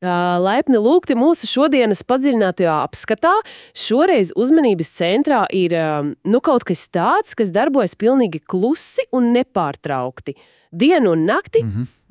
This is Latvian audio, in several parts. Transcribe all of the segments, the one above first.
Laipni lūgti mūsu šodienas padziļinātajā apskatā. Šoreiz uzmanības centrā ir kaut kas tāds, kas darbojas pilnīgi klusi un nepārtraukti. Dienu un nakti,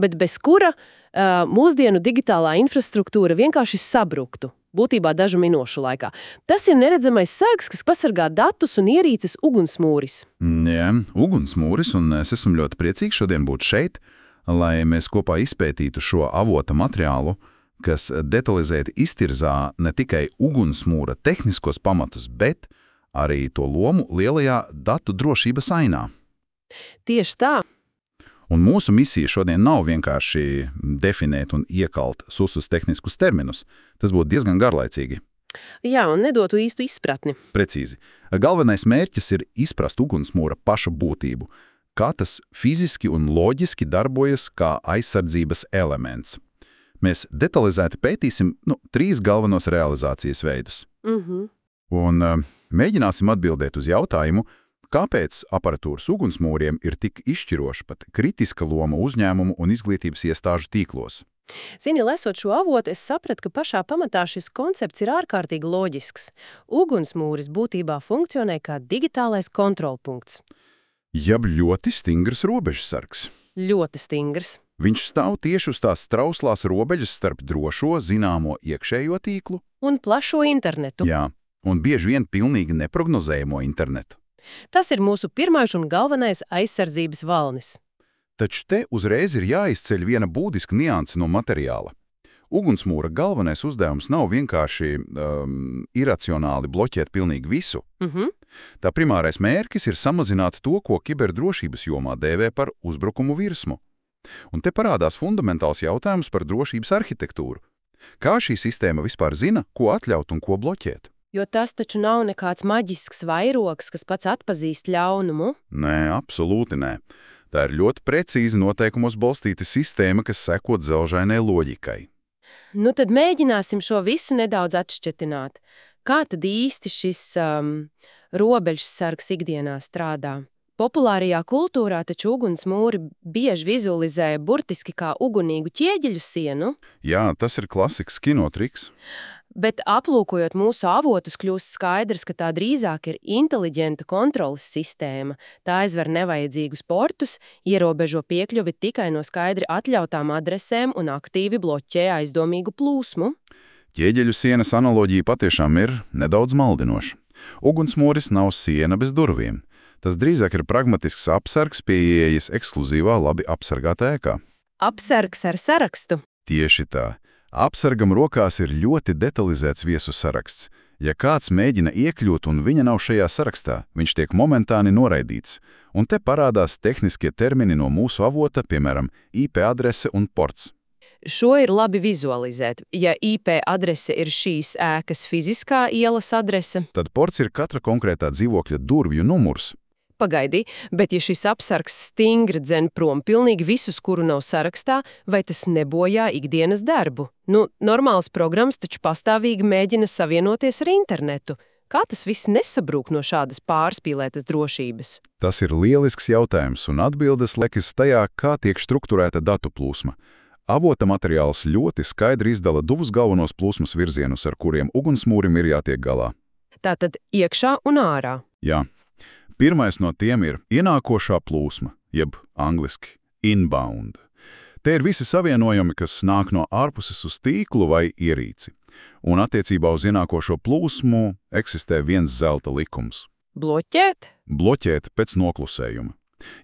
bet bez kura mūsdienu digitālā infrastruktūra vienkārši sabruktu. Būtībā dažu minūšu laikā. Tas ir neredzamais sargs, kas pasargā datus un ierīces ugunsmūris. Jā, ugunsmūris, un es esmu ļoti priecīgs šodien būt šeit, lai mēs kopā izpētītu šo avota materiālu, kas detalizēti iztirzā ne tikai ugunsmūra tehniskos pamatus, bet arī to lomu lielajā datu drošības ainā. Tieši tā. Un mūsu misija šodien nav vienkārši definēt un iekalt susus tehniskus terminus. Tas būtu diezgan garlaicīgi. Jā, un nedotu īstu izpratni. Precīzi. Galvenais mērķis ir izprast ugunsmūra paša būtību, kā tas fiziski un loģiski darbojas kā aizsardzības elements. Mēs detalizēti pētīsim 3 galvenos realizācijas veidus. Un mēģināsim atbildēt uz jautājumu, kāpēc aparatūras ugunsmūriem ir tik izšķiroša pat kritiska loma uzņēmumu un izglītības iestāžu tīklos. Zini, lasot šo avotu, es sapratu, ka pašā pamatā šis koncepts ir ārkārtīgi loģisks. Ugunsmūris būtībā funkcionē kā digitālais kontrolpunkts. Jeb ļoti stingrs robežsargs. Ļoti stingrs. Viņš stāv tieši uz tās trauslās robežas starp drošo, zināmo iekšējo tīklu un plašo internetu. Jā, un bieži vien pilnīgi neprognozējamo internetu. Tas ir mūsu pirmais un galvenais aizsardzības valnis. Taču te uzreiz ir jāizceļ viena būtiska nianse no materiāla. Ugunsmūra galvenais uzdevums nav vienkārši iracionāli bloķēt pilnīgi visu. Tā primārais mērķis ir samazināt to, ko kiberdrošības jomā dēvē par uzbrukumu virsmu. Un te parādās fundamentāls jautājums par drošības arhitektūru. Kā šī sistēma vispār zina, ko atļaut un ko bloķēt? Jo tas taču nav nekāds maģisks vairogs, kas pats atpazīst ļaunumu. Nē, absolūti nē. Tā ir ļoti precīzi noteikumos balstīta sistēma, kas seko dzelžainai loģikai. Tad mēģināsim šo visu nedaudz atšķetināt. Kā tad īsti šis robežsargs ikdienā strādā? Populārajā kultūrā taču ugunsmūri bieži vizualizē burtiski kā ugunīgu ķieģeļu sienu. Jā, tas ir klasisks kinotriks. Bet aplūkojot mūsu avotus, kļūst skaidrs, ka tā drīzāk ir inteliģenta kontroles sistēma. Tā aizver nevajadzīgus portus, ierobežo piekļuvi tikai no skaidri atļautām adresēm un aktīvi bloķē aizdomīgu plūsmu. Ķieģeļu sienas analoģija patiešām ir nedaudz maldinoša. Ugunsmūris nav siena bez durvīm. Tas drīzāk ir pragmatisks apsargs pie ieejas ekskluzīvā labi apsargātā ēkā. Apsargs ar sarakstu? Tieši tā. Apsargam rokās ir ļoti detalizēts viesu saraksts. Ja kāds mēģina iekļūt un viņa nav šajā sarakstā, viņš tiek momentāni noraidīts. Un te parādās tehniskie termini no mūsu avota, piemēram, IP adrese un ports. Šo ir labi vizualizēt. Ja IP adrese ir šīs ēkas fiziskā ielas adrese, tad ports ir katra konkrētā dzīvokļa durvju numurs. Pagaidi, bet ja šis apsargs stingri dzen prom pilnīgi visus, kuru nav sarakstā, vai tas nebojā ikdienas darbu? Normāls programmas taču pastāvīgi mēģina savienoties ar internetu. Kā tas viss nesabrūk no šādas pārspīlētas drošības? Tas ir lielisks jautājums, un atbildes lekas tajā, kā tiek strukturēta datu plūsma. Avota materiāls ļoti skaidri izdala divus galvenos plūsmas virzienus, ar kuriem ugunsmūrim ir jātiek galā. Tātad iekšā un ārā. Jā. Pirmais no tiem ir ienākošā plūsma, jeb angliski inbound. Te ir visi savienojumi, kas nāk no ārpuses uz tīklu vai ierīci. Un attiecībā uz ienākošo plūsmu eksistē viens zelta likums. Bloķēt? Bloķēt pēc noklusējuma.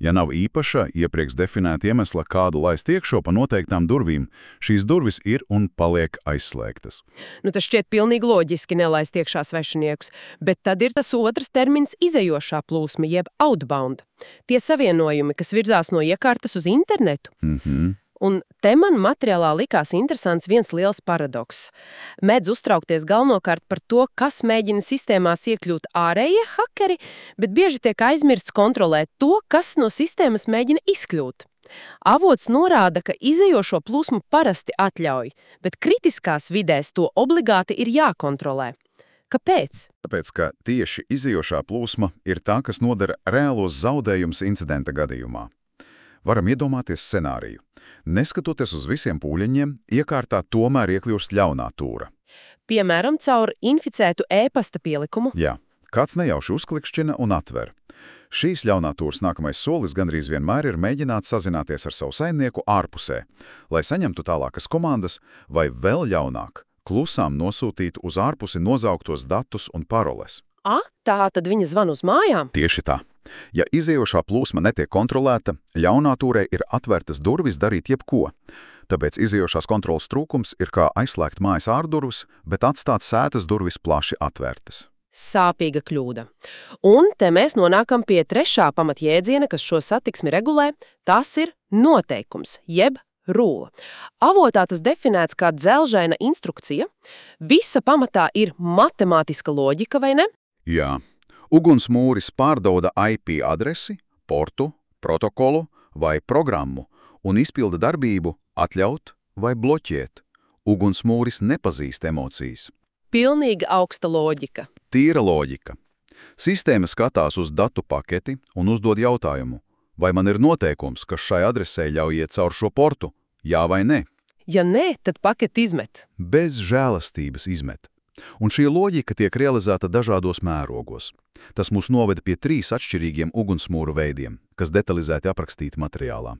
Ja nav īpaša, iepriekš definēta iemesla kādu laist iekšo pa noteiktām durvīm, šīs durvis ir un paliek aizslēgtas. Tas šķiet pilnīgi loģiski nelaist iekšā svešiniekus, bet tad ir tas otrs termins izejošā plūsma, jeb outbound. Tie savienojumi, kas virzās no iekārtas uz internetu. Un te man materiālā likās interesants viens liels paradoks. Mēdz uztraukties galvenokārt par to, kas mēģina sistēmās iekļūt ārējie hakeri, bet bieži tiek aizmirsts kontrolēt to, kas no sistēmas mēģina izkļūt. Avots norāda, ka izejošo plūsmu parasti atļauj, bet kritiskās vidēs to obligāti ir jākontrolē. Kāpēc? Tāpēc, ka tieši izejošā plūsma ir tā, kas nodara reālos zaudējumus incidenta gadījumā. Varam iedomāties scenāriju. Neskatoties uz visiem pūļiņiem, iekārtā tomēr iekļūst ļaunā tūra. Piemēram, caur inficētu e-pasta pielikumu. Jā, kāds nejauši uzklikšķina un atver. Šīs ļaunā tūras nākamais solis gandrīz vienmēr ir mēģināt sazināties ar savu saimnieku ārpusē, lai saņemtu tālākas komandas vai vēl ļaunāk, klusām nosūtītu uz ārpusi nozauktos datus un paroles. Tā tad viņa zvan uz mājām? Tieši tā. Ja izējošā plūsma netiek kontrolēta, ļaunā tūrei ir atvērtas durvis darīt jebko. Tāpēc izējošās kontrolas trūkums ir kā aizslēgt mājas ārdurvis, bet atstāt sētas durvis plaši atvērtas. Sāpīga kļūda. Un te mēs nonākam pie trešā pamatjēdziena, kas šo satiksmi regulē. Tas ir noteikums, jeb rule. Avotā tas definēts kā dzelžaina instrukcija. Visa pamatā ir matemātiska loģika, vai ne? Jā. Ugunsmūris pārdauda IP adresi, portu, protokolu vai programmu un izpilda darbību atļaut vai bloķēt. Ugunsmūris nepazīst emocijas. Pilnīgi augsta loģika. Tīra loģika. Sistēma skatās uz datu paketi un uzdod jautājumu, vai man ir noteikums, kas šai adresē ļauj iet caur šo portu, jā vai nē? Ja nē, tad paketi izmet. Bez žēlastības izmet. Un šī loģika tiek realizēta dažādos mērogos. Tas mūs noveda pie 3 atšķirīgiem ugunsmūru veidiem, kas detalizēti aprakstīti materiālā.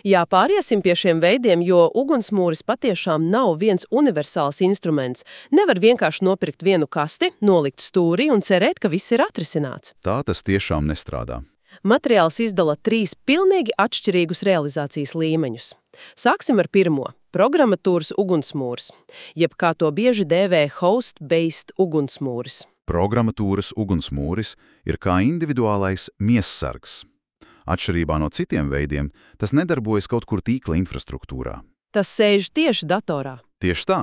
Jā, pāriesim pie šiem veidiem, jo ugunsmūris patiešām nav viens universāls instruments. Nevar vienkārši nopirkt vienu kasti, nolikt stūrī un cerēt, ka viss ir atrisināts. Tā tas tiešām nestrādā. Materiāls izdala 3 pilnīgi atšķirīgus realizācijas līmeņus. Sāksim ar pirmo – programmatūras ugunsmūris, jeb kā to bieži dēvē host-based ugunsmūris. Programmatūras ugunsmūris ir kā individuālais miessargs. Atšķirībā no citiem veidiem, tas nedarbojas kaut kur tīkla infrastruktūrā. Tas sēž tieši datorā. Tieši tā.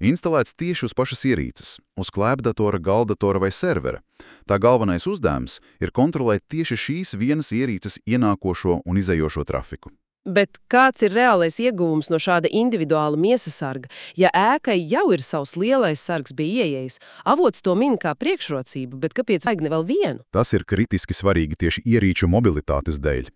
Instalēts tieši uz pašas ierīces, uz klēpdatora, galdatora vai servera. Tā galvenais uzdevums ir kontrolēt tieši šīs vienas ierīces ienākošo un izējošo trafiku. Bet kāds ir reālais ieguvums no šāda individuāla miesasarga? Ja ēkai jau ir savs lielais sargs bija ieejis, avots to min kā priekšrocību, bet kāpēc vajag ne vēl vienu? Tas ir kritiski svarīgi tieši ierīču mobilitātes dēļ.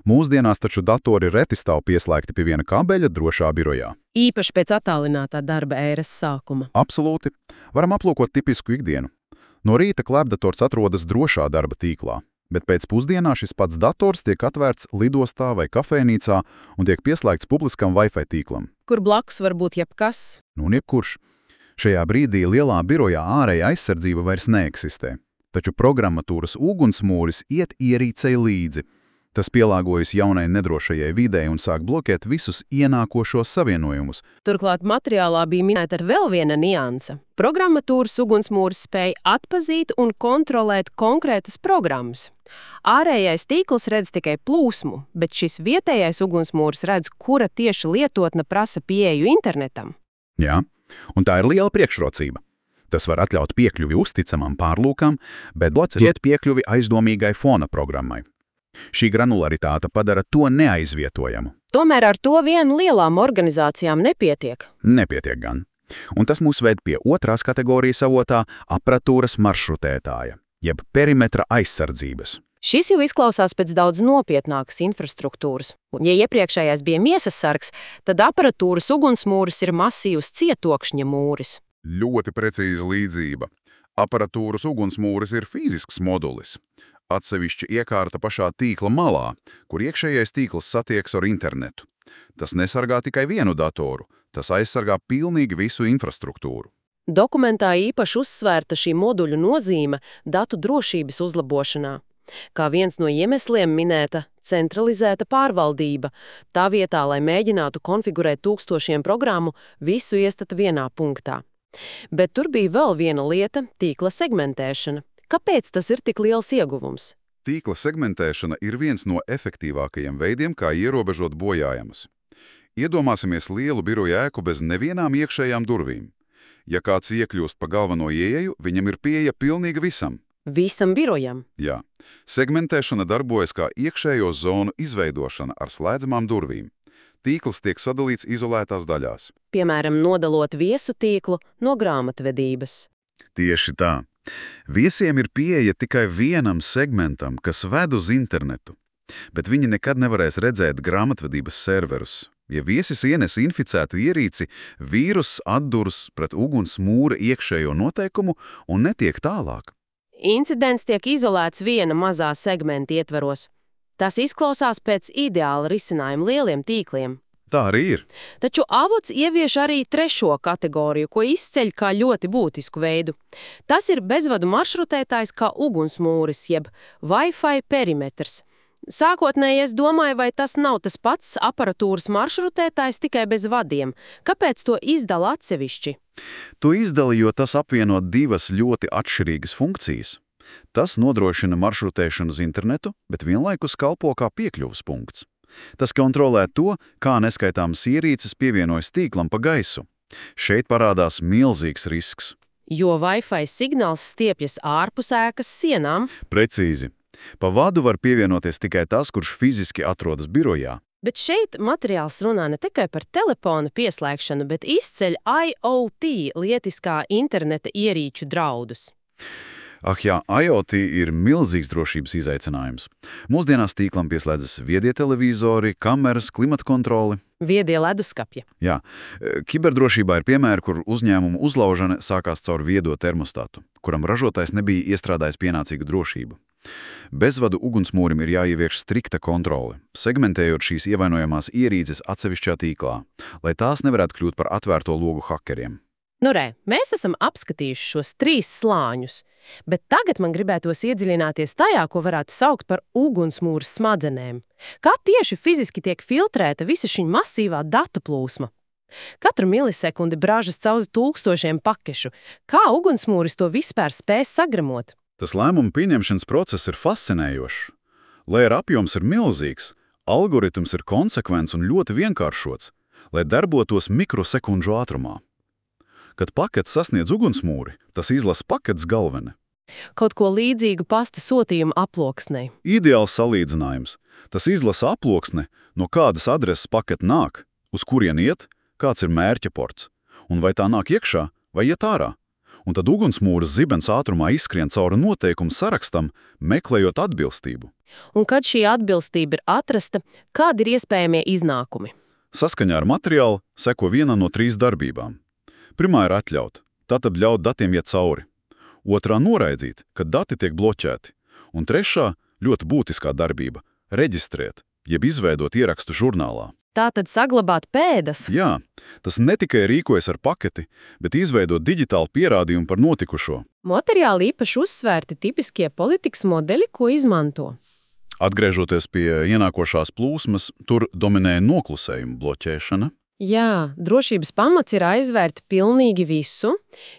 Mūsdienās taču datori reti stāv pieslēgti pie viena kabeļa drošā birojā. Īpaši pēc attālinātā darba ēras sākuma. Absolūti. Varam aplūkot tipisku ikdienu. No rīta klēpdators atrodas drošā darba tīklā. Bet pēc pusdienā šis pats dators tiek atvērts lidostā vai kafejnīcā un tiek pieslēgts publiskam Wi-Fi tīklam. Kur blakus var būt jebkas? Jebkurš. Šajā brīdī lielā birojā ārēja aizsardzība vairs neeksistē, taču programmatūras ugunsmūris iet ierīcei līdzi. Tas pielāgojas jaunai nedrošajai videi un sāk bloķēt visus ienākošos savienojumus. Turklāt materiālā bija minēta vēl viena nianse. Programmatūras ugunsmūris spēja atpazīt un kontrolēt konkrētas programmas. Ārējais tīkls redz tikai plūsmu, bet šis vietējais ugunsmūris redz, kura tieši lietotne prasa pieeju internetam. Jā, un tā ir liela priekšrocība. Tas var atļaut piekļuvi uzticamam pārlūkam, bet bloķēt piekļuvi aizdomīgai fona programmai. Šī granularitāte padara to neaizvietojamu. Tomēr ar to vien lielām organizācijām nepietiek. Nepietiek gan. Un tas mūs ved pie otrās kategorijas avotā apratūras maršrutētāja, jeb perimetra aizsardzības. Šis jau izklausās pēc daudz nopietnākas infrastruktūras. Un, ja iepriekšējais bija miesasargs, tad aparatūras ugunsmūris ir masīvs cietokšņa mūris. Ļoti precīza līdzība. Aparatūras ugunsmūris ir fizisks modulis. Atsevišķa iekārta pašā tīkla malā, kur iekšējais tīkls satiekas ar internetu. Tas nesargā tikai vienu datoru, tas aizsargā pilnīgi visu infrastruktūru. Dokumentā īpaši uzsvērta šī moduļu nozīme datu drošības uzlabošanā. Kā viens no iemesliem minēta centralizēta pārvaldība. Tā vietā, lai mēģinātu konfigurēt tūkstošiem programmu, visu iestat vienā punktā. Bet tur bija vēl viena lieta – tīkla segmentēšana. Kāpēc tas ir tik liels ieguvums? Tīkla segmentēšana ir viens no efektīvākajiem veidiem, kā ierobežot bojājumus. Iedomāsimies lielu biroju ēku bez nevienām iekšējām durvīm. Ja kāds iekļūst pa galveno ieeju, viņam ir pieeja pilnīgi visam. Visam birojam? Jā. Segmentēšana darbojas kā iekšējo zonu izveidošana ar slēdzamām durvīm. Tīkls tiek sadalīts izolētās daļās. Piemēram, nodalot viesu tīklu no grāmatvedības. Tieši tā. Viesiem ir pieeja tikai vienam segmentam, kas ved uz internetu, bet viņi nekad nevarēs redzēt grāmatvedības serverus, Ja viesis ienes inficētu ierīci, vīrus atdurs pret ugunsmūra iekšējo noteikumu un netiek tālāk. Incidents tiek izolēts viena mazā segmenta ietvaros. Tas izklausās pēc ideāla risinājuma lieliem tīkliem. Tā arī ir. Taču avots ievieš arī trešo kategoriju, ko izceļ kā ļoti būtisku veidu. Tas ir bezvadu maršrutētājs kā ugunsmūris, jeb Wi-Fi perimetrs. Sākotnēji es domāju, vai tas nav tas pats aparatūras maršrutētājs tikai bez vadiem. Kāpēc to izdala atsevišķi? To izdala, jo tas apvieno divas ļoti atšķirīgas funkcijas. Tas nodrošina maršrutēšanu uz internetu, bet vienlaikus kalpo kā piekļuves punkts. Tas kontrolē to, kā neskaitāmas ierīces pievienojas tīklam pa gaisu. Šeit parādās milzīgs risks. Jo Wi-Fi signāls stiepjas ārpus ēkas sienām. Precīzi. Pa vadu var pievienoties tikai tas, kurš fiziski atrodas birojā. Bet šeit materiāls runā ne tikai par telefona pieslēgšanu, bet izceļ IoT lietiskā interneta ierīču draudus. Ah jā, IoT ir milzīgs drošības izaicinājums. Mūsdienās tīklam pieslēdzas viedie televizori, kameras, klimata kontroli. Viedie leduskapji. Jā, kiberdrošībā ir piemēri, kur uzņēmumu uzlaužana sākās caur viedo termostatu, kuram ražotājs nebija iestrādājis pienācīgu drošību. Bezvadu ugunsmūrim ir jāievieš strikta kontrole, segmentējot šīs ievainojamās ierīces atsevišķā tīklā, lai tās nevarētu kļūt par atvērto logu hakeriem. Nu mēs esam apskatījuši šos 3 slāņus, bet tagad man gribētos iedziļināties tajā, ko varētu saukt par ugunsmūra smadzenēm. Kā tieši fiziski tiek filtrēta visa šī masīvā datu plūsma? Katru milisekundi brāžas caur tūkstošiem pakešu. Kā ugunsmūris to vispār spēj sagremot? Tas lēmumu pieņemšanas process ir fascinējošs. Lai ar apjoms ir milzīgs, algoritms ir konsekvents un ļoti vienkāršots, lai darbotos mikrosekundžu ātrumā. Kad pakets sasniedz ugunsmūri, tas izlasa paketes galveni. Kaut ko līdzīgu pastu sūtījumu aploksnei. Ideāls salīdzinājums. Tas izlasa aploksni, no kādas adreses pakete nāk, uz kurien iet, kāds ir mērķa ports, un vai tā nāk iekšā vai iet ārā. Un tad ugunsmūras zibens ātrumā izskrien cauri noteikumu sarakstam, meklējot atbilstību. Un kad šī atbilstība ir atrasta, kādi ir iespējamie iznākumi? Saskaņā ar materiālu seko viena no 3 darbībām. Pirmā ir atļaut, tātad ļaut datiem iet cauri. Otrā noraidīt, kad dati tiek bloķēti. Un trešā, ļoti būtiskā darbība – reģistrēt, jeb izveidot ierakstu žurnālā. Tātad saglabāt pēdas? Jā, tas ne tikai rīkojas ar paketi, bet izveidot digitālu pierādījumu par notikušo. Materiāli īpaši uzsvērti tipiskie politikas modeļi, ko izmanto. Atgriežoties pie ienākošās plūsmas, tur dominēja noklusējuma bloķēšana. Jā, drošības pamats ir aizvērt pilnīgi visu.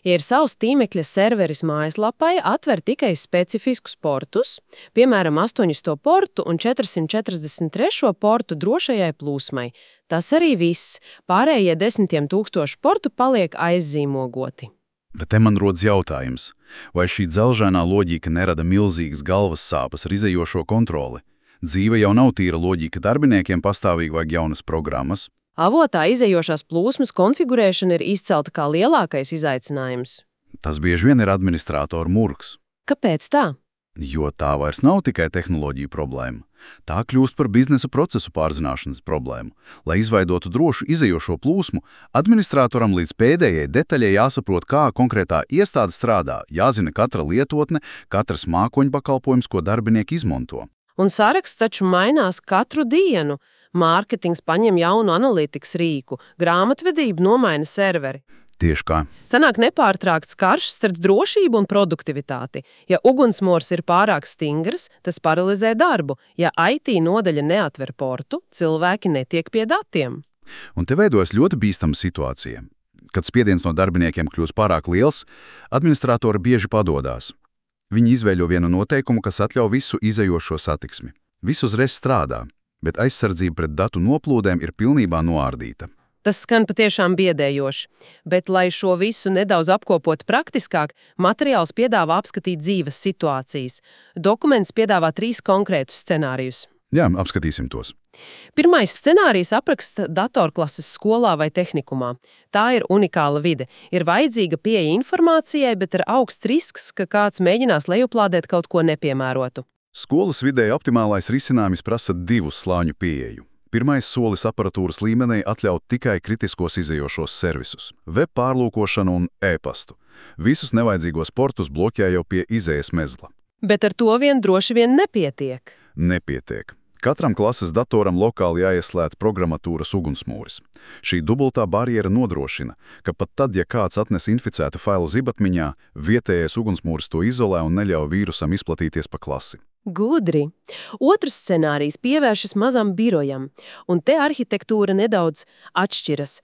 Ja ir savs tīmekļa serveris mājaslapai, atver tikai specifiskus portus, piemēram 800 portu un 443 portu drošajai plūsmai. Tas arī viss. Pārējie 10 000 portu paliek aizzīmogoti. Bet te man rodas jautājums, vai šī dzelžainā loģika nerada milzīgas galvas sāpes ar izējošo kontroli? Dzīve jau nav tīra loģika, darbiniekiem pastāvīgi vajag jaunas programmas. Avotā izējošās plūsmas konfigurēšana ir izcelta kā lielākais izaicinājums. Tas bieži vien ir administrātoru murgs. Kāpēc tā? Jo tā vairs nav tikai tehnoloģija problēma. Tā kļūst par biznesa procesu pārzināšanas problēmu. Lai izveidotu drošu izējošo plūsmu, administratoram līdz pēdējai detaļai jāsaprot, kā konkrētā iestāde strādā, jāzina katra lietotne, katrs mākoņpakalpojums, ko darbinieki izmanto. Un saraksts taču mainās katru dienu. Mārketings paņem jaunu analītikas rīku, grāmatvedība nomaina serveri. Tieši kā. Sanāk nepārtraukts karš starp drošību un produktivitāti. Ja ugunsmors ir pārāk stingrs, tas paralizē darbu. Ja IT nodaļa neatver portu, cilvēki netiek pie datiem. Un te veidojas ļoti bīstama situācija. Kad spiediens no darbiniekiem kļūst pārāk liels, administratori bieži padodās. Viņi izveido vienu noteikumu, kas atļauj visu izējošo satiksmi. Viss uzreiz strādā, bet aizsardzība pret datu noplūdēm ir pilnībā noārdīta. Tas skan patiešām biedējoši, bet, lai šo visu nedaudz apkopotu praktiskāk, materiāls piedāvā apskatīt dzīves situācijas. Dokuments piedāvā 3 konkrētus scenārijus. Jā, apskatīsim tos. Pirmais scenārijs apraksta datorklases skolā vai tehnikumā. Tā ir unikāla vide. Ir vajadzīga pieeja informācijai, bet ir augsts risks, ka kāds mēģinās lejuplādēt kaut ko nepiemērotu. Skolas vidē optimālais risinājums prasa 2 slāņu pieeju. Pirmais solis aparatūras līmenī atļaut tikai kritiskos izējošos servisus – web pārlūkošanu un e-pastu. Visus nevajadzīgos portus bloķē jau pie izējas mezgla. Bet ar to vien droši vien nepietiek. Nepietiek. Katram klases datoram lokāli jāieslēdz programmatūras ugunsmūris. Šī dubultā barjera nodrošina, ka pat tad, ja kāds atnes inficētu failu zibatmiņā, vietējais ugunsmūris to izolē un neļauj vīrusam izplatīties pa klasi. Gudri. Otrs scenārijs pievēršas mazam birojam, un te arhitektūra nedaudz atšķiras.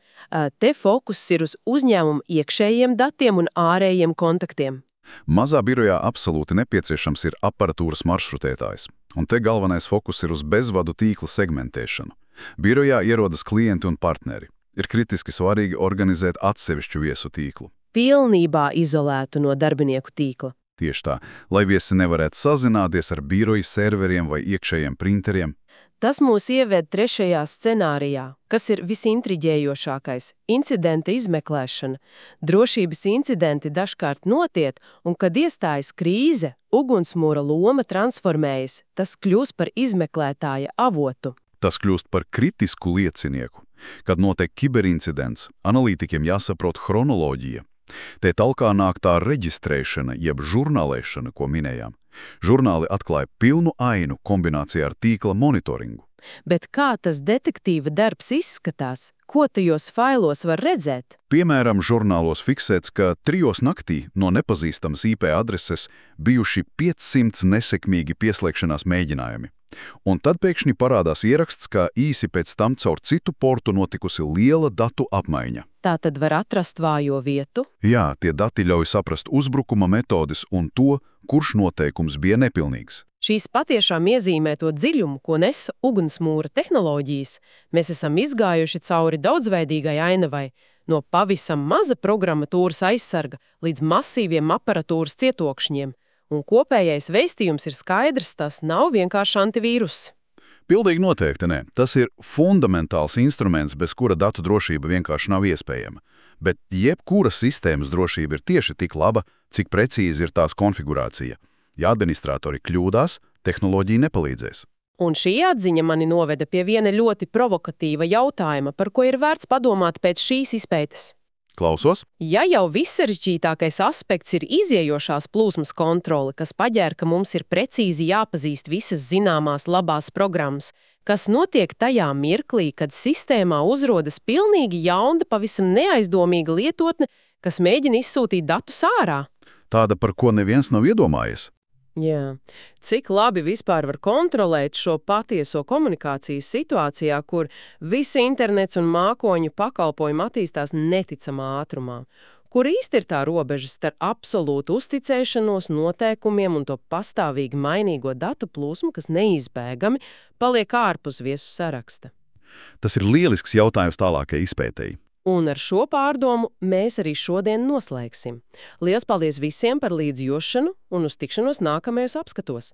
Te fokus ir uz uzņēmumu iekšējiem datiem un ārējiem kontaktiem. Mazā birojā absolūti nepieciešams ir aparatūras maršrutētājs. Un te galvenais fokus ir uz bezvadu tīkla segmentēšanu. Birojā ierodas klienti un partneri. Ir kritiski svarīgi organizēt atsevišķu viesu tīklu. Pilnībā izolētu no darbinieku tīkla. Tieši tā, lai viesi nevarētu sazināties ar biroju serveriem vai iekšējiem printeriem. Tas mūs ieved trešajā scenārijā, kas ir visintriģējošākais – incidenta izmeklēšana. Drošības incidenti dažkārt notiek, un kad iestājas krīze, ugunsmūra loma transformējas, tas kļūst par izmeklētāja avotu. Tas kļūst par kritisku liecinieku. Kad notiek kiberincidents, analītikiem jāsaprot chronoloģija. Te talkā nāk tā reģistrēšana, jeb žurnālēšana, ko minējām. Žurnāli atklāja pilnu ainu kombinācijā ar tīkla monitoringu. Bet kā tas detektīva darbs izskatās? Ko tajos failos var redzēt? Piemēram, žurnālos fiksēts, ka 3 naktī no nepazīstamas IP adreses bijuši 500 nesekmīgi pieslēgšanās mēģinājumi. Un tad pēkšņi parādās ieraksts, ka īsi pēc tam caur citu portu notikusi liela datu apmaiņa. Tā tad var atrast vājo vietu? Jā, tie dati ļauj saprast uzbrukuma metodes un to, kurš noteikums bija nepilnīgs. Šīs patiešām iezīmē to dziļumu, ko nes ugunsmūra tehnoloģijas. Mēs esam izgājuši cauri daudzveidīgai ainavai, no pavisam maza programmatūras aizsarga līdz masīviem aparatūras cietokšņiem. Un kopējais vēstījums ir skaidrs, tas nav vienkārši antivīrus. Pilnīgi noteikti ne. Tas ir fundamentāls instruments, bez kura datu drošība vienkārši nav iespējama. Bet jebkura sistēmas drošība ir tieši tik laba, cik precīzi ir tās konfigurācija. Ja administratori kļūdās, tehnoloģija nepalīdzēs. Un šī atziņa mani noveda pie viena ļoti provokatīva jautājuma, par ko ir vērts padomāt pēc šīs izpētes. Klausos? Ja jau vissarežģītākais aspekts ir iziejošās plūsmas kontrole, kas paģēr, ka mums ir precīzi jāpazīst visas zināmās labās programmas, kas notiek tajā mirklī, kad sistēmā uzrodas pilnīgi jauna, pavisam neaizdomīga lietotne, kas mēģina izsūtīt datus ārā? Tāda, par ko neviens nav iedomājies. Jā. Cik labi vispār var kontrolēt šo patieso komunikāciju situācijā, kur visi internets un mākoņu pakalpojumi attīstās neticamā ātrumā? Kur īsti ir tā robeža starp absolūtu uzticēšanos noteikumiem un to pastāvīgi mainīgo datu plūsmu, kas neizbēgami paliek ārpus viesu saraksta? Tas ir lielisks jautājums tālākai izpētēji. Un ar šo pārdomu mēs arī šodien noslēgsim. Lielas paldies visiem par līdzjūšanu un uz tikšanos nākamajos apskatos!